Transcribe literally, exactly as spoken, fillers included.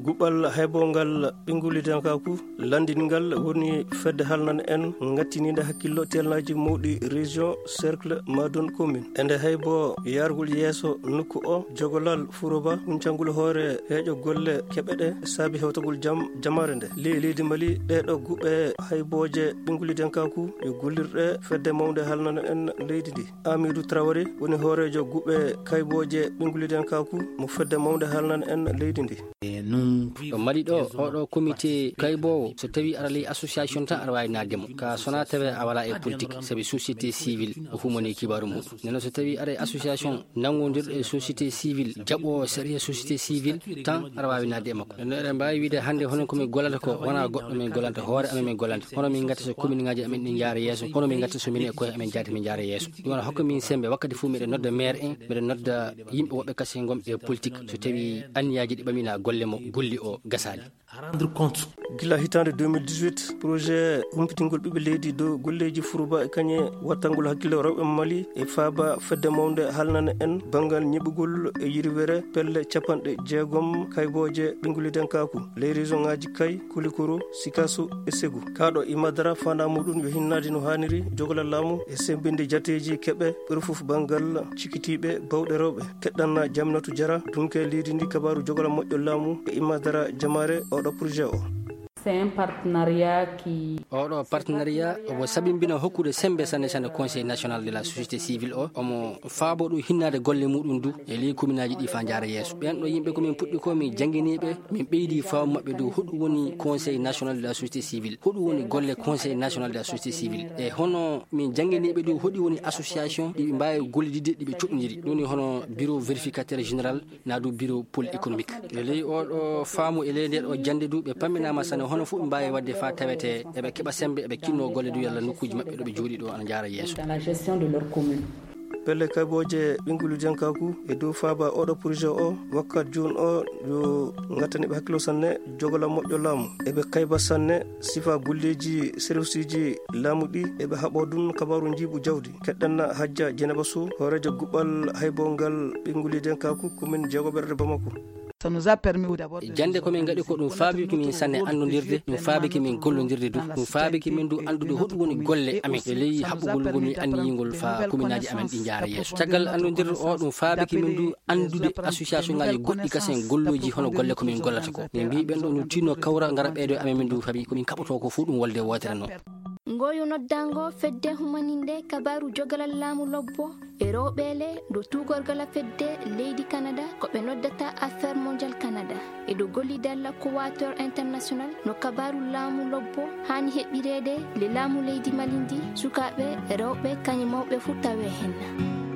Guɓal haybongal ɓinngullidankaaku lanndingal woni fedde halnan en ngattiniinde hakkillo telnaaji mawɗi région, cercle, madon, commune. E nde haybo yargol yeeso nokku o, jogolal furoba huncangol hoore heeƴo golle keɓe ɗe saabi hewtagol jam jamaare nde. Ley leydi Mali, ɗeɗo guɓe haybooje ɓinngullidankaaku yo gollirɗe fedde mawnde halnan en leydi ndi. Amidou Traoré woni hooreejo guɓe kaybooje ɓinngullidankaaku mo fedde mawnde halnan en leydi ndi. Ɗo Mali ɗo, oɗo comité kayboowo, so tawi ara ley association tan, ara waawi naatde mo. Ka sona tawe a wala e politique, sabi société civile o humani kibaaru mum. Neno so tawi ara e association nanngondirɗo e société civile, jaɓo sariya société civile tan, ara waawi naatde e makko. Neno eɗen mbaawi wiide hannde hono ko min gollata ko, wona goɗɗo min gollanta, hoore amen min gollanta. Hono min ngatta so commune ngaji amen ɗi njaara yeeso, hono min ngatta so min e koye amen jaati min njaara yeeso. Ɗum wona hokka min sembe wakkati fof miɗen nodda maire en, miɗen nodda yimɓe woɓɓe kasen gomɓe e politique. So tawi anniyaaji ɗi ɓamina golle mo golli o gasaali. Gila hitaande deux mille dix-huit, projet humpitingol ɓiɓɓe leydi dow golleeji furuba e kañe wattangol hakkille rewɓe Mali e faaba fedde mawnde halnana en banngal ñiɓugol e yirwere pelle capanɗe jeegom kaybooje ɓinngullidankaaku ley région ŋaaji Kay, Kulikoro, Sikaso e Segu. Kaaɗo Imadara faandaa muɗum yo hinnaade no haaniri jogolal laamu e semmbinde jateeji keɓe ɓuri fof banngal cikitiiɓe bawɗe rewɓe. Keɗɗanna Jaminatu Jara, dunke leydi ndi, kabaaru jogolal moƴƴo laamu e Imadara Jamaare oɗo projet o. C'est un partenariat qui Oɗo partenariat omo sabimbina hokkude sembe sanne sanne Conseil national de la société civile o, omo faabo ɗum hinnaade golle muɗum du e ley kominaaji ɗi faa njaara yeeso. Ɓen ɗo yimɓe ko min puɗɗi ko min jannginiiɓe, min ɓeydi faamu maɓɓe dow hoɗum woni Conseil national de la société civile, hoɗum woni golle Conseil national de la société civile, e hono min jannginiiɓe dow hoɗi woni association ɗi ɓe mbaawi gollididde, ɗi ɓe coɗɗondiri. Ɗum woni hono bureau vérificateur général, naa du bureau pôle économique. E ley oɗo faamu, e ley nde ɗo jannde du, ɓe pamminaama sanne hono fof ɓe mbaawi waɗde faa tawete eɓe keɓa sembe, eɓe kinno golle du yalla nokkuuji maɓɓe ɗo ɓe jooɗi ɗo ana njaara yeeso. Dans la gestion de leur commune. Pelle kaybooje ɓinngullidankaaku e dow faaba oɗo projet o, wakkat jooni o yo ngattani ɓe hakkilo sanne, jogolal moƴƴo laamu. Eɓe kayba sanne sifa golleeji serviceeji laamu ɗi, eɓe haɓo ɗum kabaaru njiiɓu jawdi. Keɗɗanna Hajja Jeneba Sow, hooreejo guɓal haybongal ɓinngullidankaaku commune jeegoɓerde Bamako. Ça nous a permis d'abord de Jannde ko min ngaɗi ko ɗum faabiki min sanne annondirde, ɗum faabiki min gollondirde du, ɗum faabiki min du anndude hoɗum woni golle amen e ley haɓɓugol ngol min anniyingol faa kominaaji amen ɗi njaara yeeso. Caggal annondirde o, ɗum faabiki min du anndude association ngaaji goɗɗi kasen gollooji hono golle ko min gollata ko. Min mbii ɓen ɗo no tinno kawra ngara ɓeydo e amen min du, fabi ko min kaɓotoo ko fof ɗum wolde wootere noon. Ngoyu noddango fedde humaninde kabaaru jogalal laamu lobbo e rewɓeele do tuugorgala fedde leydi Canada ko ɓe noddata Affaire Mondiale Canada e do gollidalla Cowater International no kabaaru laamu lobbo haani heɓireede le laamu leydi Mali ndi, sukaaɓe, rewɓe, kañum mawɓe fof tawe henna.